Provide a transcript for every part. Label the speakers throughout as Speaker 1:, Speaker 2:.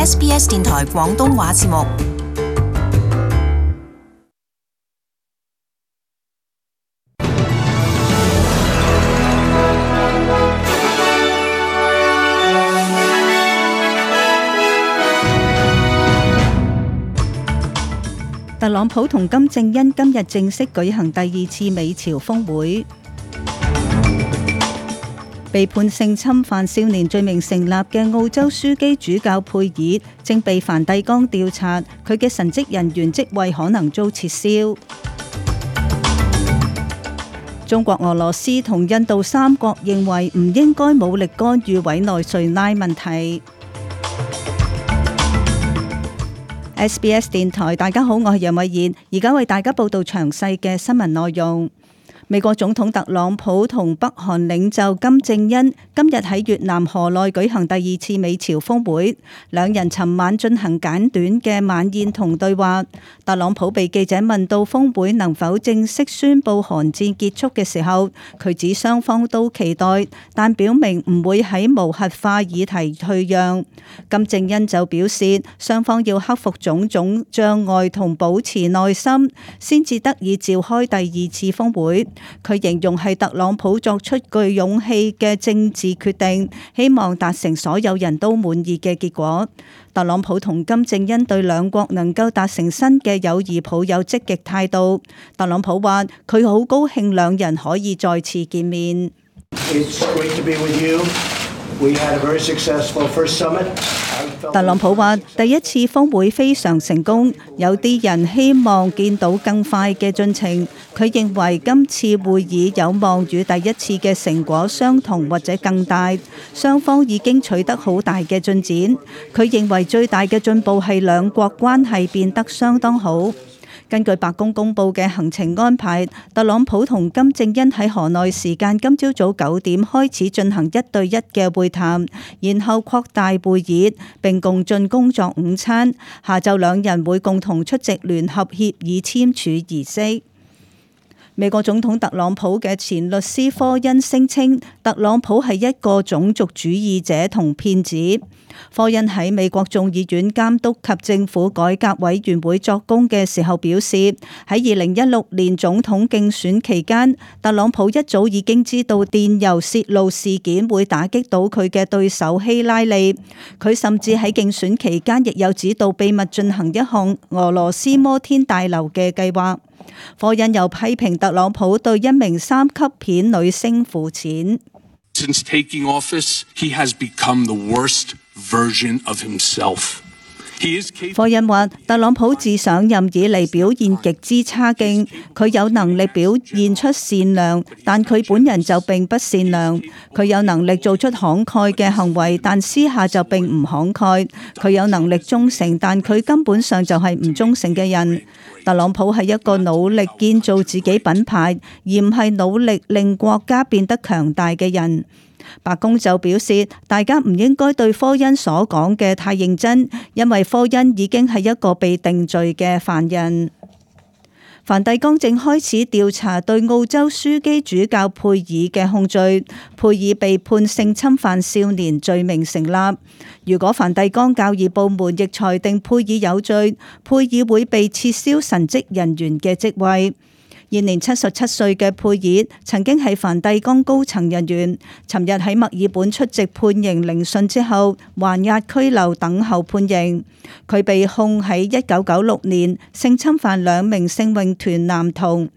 Speaker 1: SBS 電台廣東話節目。
Speaker 2: 特朗普同金正恩今日正式舉行第二次美朝峰會。被判性侵犯少年罪名成立嘅澳洲樞機主教佩爾正被梵蒂岡調查，佢嘅神職人員職位可能遭撤銷。中國、俄羅斯同印度三國認為唔應該武力干預委內瑞拉問題。SBS 電台，大家好，我係楊慧燕，而家為大家報道詳細嘅新聞內容。美國總統特朗普同北韓領袖金正恩今日喺越南河內舉行第二次美朝峰會，兩人尋晚進行簡短嘅晚宴同對話。特朗普被記者問到峰會能否正式宣布韓戰結束嘅時候，佢指雙方都期待，但表明唔會喺無核化議題退讓。金正恩就表示，雙方要克服種種障礙同保持耐心，先至得以召開第二次峰會。佢形容係特朗普作出具勇氣嘅政治決定，希望達成所有人都滿意嘅結果。特朗普同金正恩對兩國能夠達成新嘅友誼抱有積極態度。特朗普話：佢好高興兩人可以再次見面。特朗普話：第一次峰會非常成功，有啲人希望見到更快嘅進程。佢認為今次會議有望與第一次嘅成果相同或者更大，雙方已經取得好大嘅進展。佢認為最大嘅進步係兩國關係變得相當好。根據白宮公佈嘅行程安排，特朗普同金正恩喺河內時間今朝早9點開始進行1對1嘅會談，然後擴大會議並共進工作午餐。下晝兩人會共同出席聯合協議簽署儀式。美國總統特朗普嘅前律師科恩聲稱，特朗普係一個種族主義者同騙子。科恩喺美國眾議院監督及政府改革委員會作供嘅時候表示，喺2016年總統競選期間，特朗普一早已經知道電郵泄露事件會打擊到佢嘅對手希拉里。佢甚至喺競選期間亦有指導秘密進行一項俄羅斯摩天大樓嘅計劃。科恩又批評特朗普對一名3級片女星付錢。
Speaker 3: Since taking office, he has become the worst version of himself.
Speaker 2: 科恩話：特朗普自上任以嚟表現極之差勁，佢有能力表現出善良，但佢本人就並不善良。佢有能力做出慷慨嘅行為，但私下就並唔慷慨。佢有能力忠誠，但佢根本上就係唔忠誠嘅人。特朗普係一個努力建造自己品牌，而唔係努力令國家變得強大嘅人。白宮就表示，大家唔應該對科恩所講嘅太認真，因為科恩已經係一個被定罪嘅犯人。梵蒂岡正開始調查對澳洲樞機主教佩爾嘅控罪，佩爾被判性侵犯少年罪名成立。如果梵蒂岡教義部門亦裁定佩爾有罪，佩爾會被撤銷神職人員嘅職位。現年77歲嘅佩爾曾經係梵蒂岡高層人員，尋日喺墨爾本出席判刑聆訊之後，還押拘留等候判刑。佢被控喺1996年性侵犯2名聖詠團男童，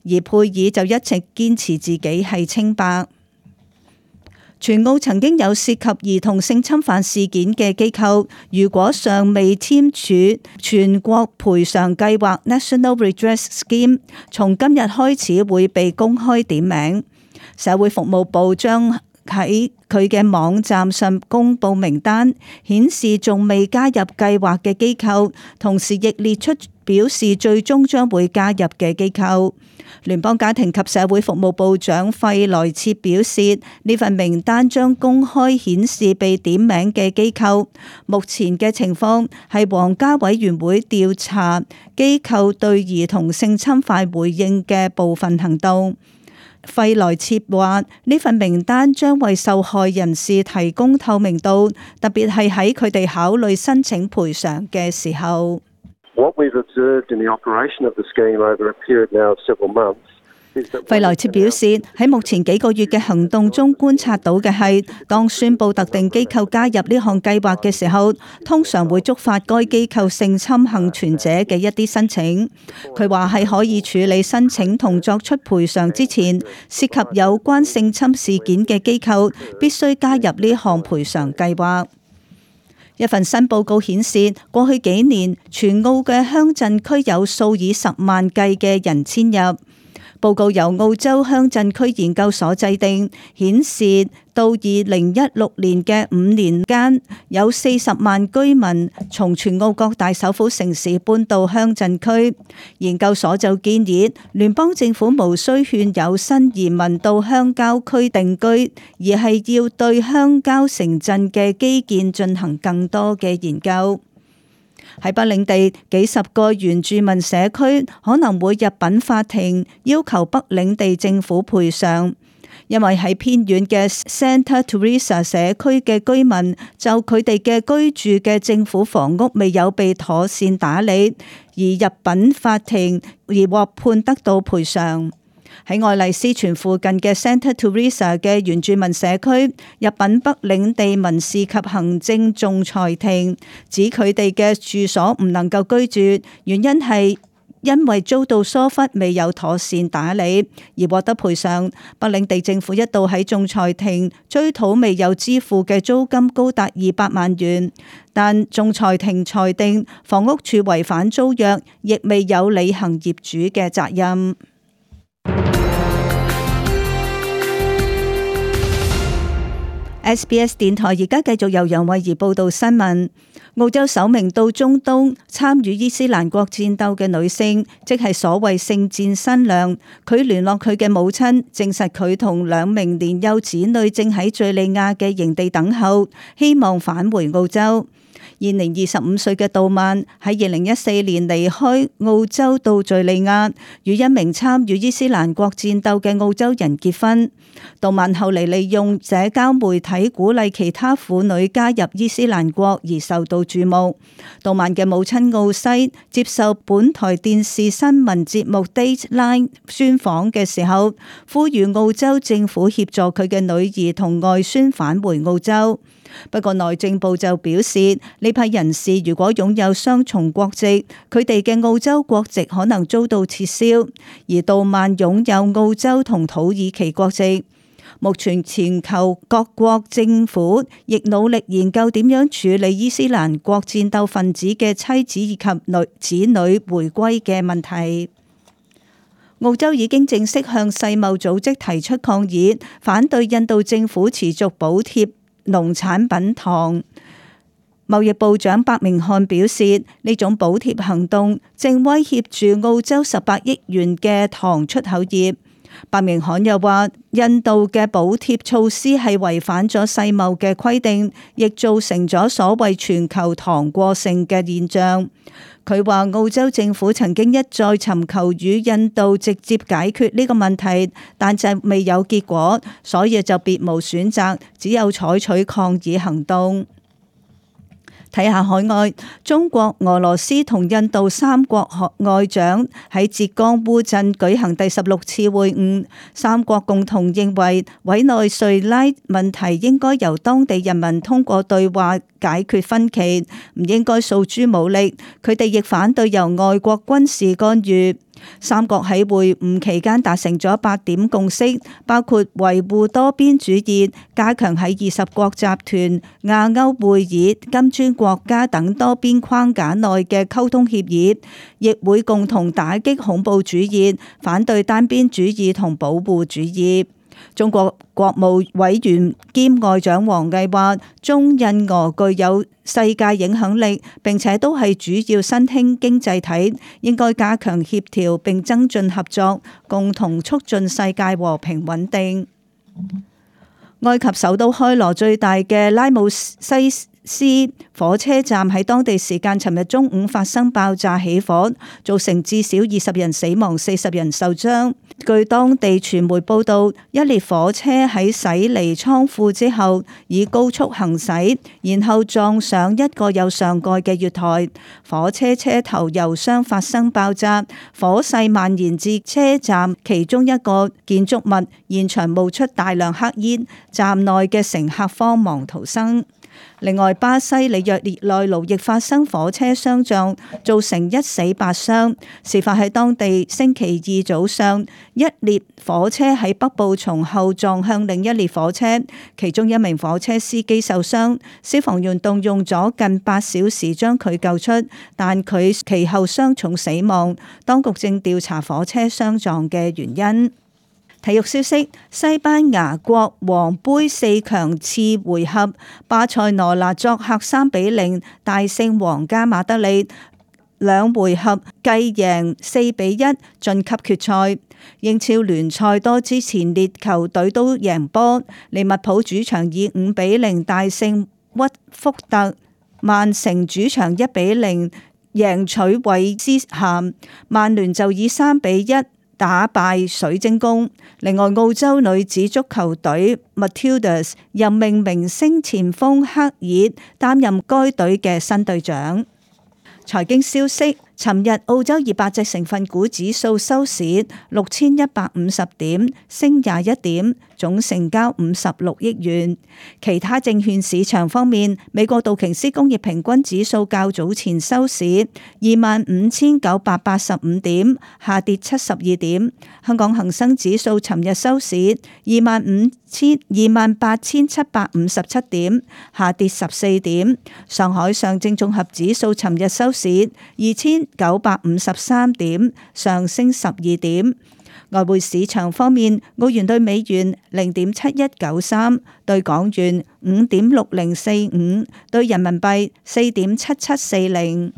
Speaker 2: 而佩爾就一直堅持自己係清白。全澳曾經有涉及兒童性侵犯事件嘅機構，如果尚未簽署全國賠償計劃 National Redress Scheme， 從今日開始會被公開點名。社會服務部將喺佢嘅網站上公布名單，顯示仲未加入計劃嘅機構，同時亦列出表示最終將會加入嘅機構。聯邦家庭及社會服務部長費萊切表示，呢份名單將公開顯示被點名嘅機構。目前嘅情況係皇家委員會調查機構對兒童性侵犯回應嘅部分行動。費萊切話：呢份名單將為受害人士提供透明度，特別係喺佢哋考慮申請賠償嘅時候。費萊切表示，喺目前幾個月嘅行動中觀察到嘅係，當宣布特定機構加入呢項計劃嘅時候，通常會觸發該機構性侵幸存者嘅一啲申請。佢話喺可以處理申請同作出賠償之前，涉及有關性侵事件嘅機構必須加入呢項賠償計劃。一份新報告顯示，過去幾年全澳嘅鄉鎮區有數以10萬計嘅人遷入。報告由澳洲鄉鎮區研究所制定，顯示到2016年嘅5年間，有40萬居民從全澳各大首府城市搬到鄉鎮區。研究所就建議，聯邦政府無需勸誘新移民到鄉郊區定居，而係要對鄉郊城鎮嘅基建進行更多嘅研究。喺北領地，幾十個原住民社區可能會入稟法庭，要求北領地政府賠償，因為喺偏遠嘅 Santa Teresa 社區嘅居民就佢哋嘅居住嘅政府房屋未有被妥善打理，而入稟法庭而獲判得到賠償。喺愛麗斯泉附近嘅 Santa Teresa 嘅原住民社區入稟北領地民事及行政仲裁庭，指佢哋嘅住所唔能夠居住，原因係因為遭到疏忽，未有妥善打理而獲得賠償。北領地政府一度喺仲裁庭追討未有支付嘅租金高達200萬元，但仲裁庭裁定房屋署違反租約，亦未有履行業主嘅責任。SBS 電台而家繼續由楊慧儀報道新聞。澳洲首名到中東參與伊斯蘭國戰鬥嘅女性，即係所謂聖戰新娘。佢聯絡佢嘅母親，證實佢同2名年幼子女正喺敘利亞嘅營地等候，希望返回澳洲。現年25歲嘅杜曼喺2014年離開澳洲到敘利亞，與一名參與伊斯蘭國戰鬥嘅澳洲人結婚。杜曼後嚟利用社交媒體鼓勵其他婦女加入伊斯蘭國而受到注目。杜曼嘅母親奧西接受本台電視新聞節目 Dateline 專訪嘅時候，呼籲澳洲政府協助佢嘅女兒同外孫返回澳洲。不過內政部就表示，呢批人士如果擁有雙重國籍，佢哋嘅澳洲國籍可能遭到撤銷，而杜曼擁有澳洲同土耳其國籍。目前全球各國政府亦努力研究點樣處理伊斯蘭國戰鬥分子嘅妻子以及子女回歸嘅問題。澳洲已經正式向世貿組織提出抗議，反對印度政府持續補貼農產品糖。貿易部長白明漢表示，呢種補貼行動正威脅住澳洲18億元嘅糖出口業。白明漢又話，印度嘅補貼措施係違反咗世貿嘅規定，亦造成咗所謂全球糖過剩嘅現象。佢話澳洲政府曾經一再尋求與印度直接解決呢個問題，但就未有結果，所以就別無選擇，只有採取抗議行動。睇下海外，中國、俄羅斯同印度3國外長喺浙江烏鎮舉行第16次會晤，三國共同認為委內瑞拉問題應該由當地人民通過對話解決分歧，唔應該訴諸武力。佢哋亦反對由外國軍事干預。三國喺會晤期間達成咗8點共識，包括維護多邊主義、加強喺20國集團、亞歐會議、金磚國家等多邊框架內嘅溝通協議，亦會共同打擊恐怖主義、反對單邊主義同保護主義。中國國務委員兼外長王毅話，中印俄具有世界影響力，並且都係主要新興經濟體，應該加強協調並增進合作，共同促進世界和平穩定。埃及首都開羅最大嘅拉姆西斯火車站喺當地時間尋日中午發生爆炸起火，造成至少20人死亡、40人受傷。據當地傳媒報道，一列火車喺駛離倉庫之後，以高速行駛，然後撞上一個有上蓋嘅月台，火車車頭油箱發生爆炸，火勢蔓延至車站其中一個建築物，現場冒出大量黑煙，站內嘅乘客慌忙逃生。另外，巴西里約熱內盧亦發生火車相撞，造成1死8傷。事發喺當地星期二早上，一列火車喺北部從後撞向另一列火車，其中一名火車司機受傷。消防員動用咗近8小時將佢救出，但佢其後傷重死亡。當局正調查火車相撞嘅原因。體育消息：西班牙國王杯4強次回合，巴塞羅那作客3-0大勝皇家馬德里，2回合計贏4-1晉級決賽。英超聯賽多支前列球隊都贏波，利物浦主場以5-0大勝屈福特，曼城主場1-0贏取韋斯咸，曼聯就以3-1打敗水晶宮。另外，澳洲女子足球隊 Matildas 任命明星前鋒克爾擔任該隊嘅新隊長。財經消息：尋日澳洲200隻成分股指數收市6150點，升21點，總成交56億元。其他證券市場方面，美國道瓊斯工業平均指數較早前收市25,985點，下跌72點。香港恒生指數尋日收市28,757點，下跌14點。上海上證綜合指數尋日收市2,953點，上升12點。外匯市場方面，澳元對美元0.7193，對港元5.6045，對人民幣4.7740。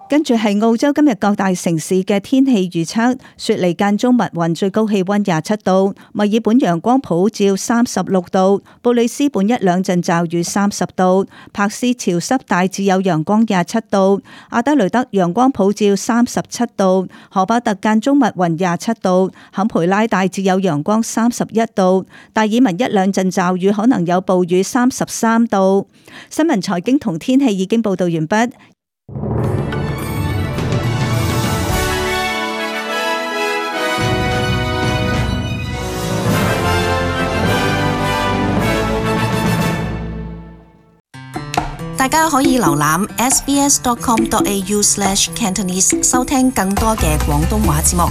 Speaker 2: 跟住係澳洲今日各大城市嘅天氣預測：雪梨間中密雲，最高氣溫27度；墨爾本陽光普照36度；布里斯本一兩陣驟雨30度；柏斯潮濕大致有陽光27度；阿德雷德陽光普照37度；荷巴特間中密雲27度；坎培拉大致有陽光31度；達爾文一兩陣驟雨可能有暴雨33度。新聞財經同天氣已經報道完畢。
Speaker 1: 大家可以瀏覽 sbs.com.au/cantonese 收聽更多嘅廣東話節目。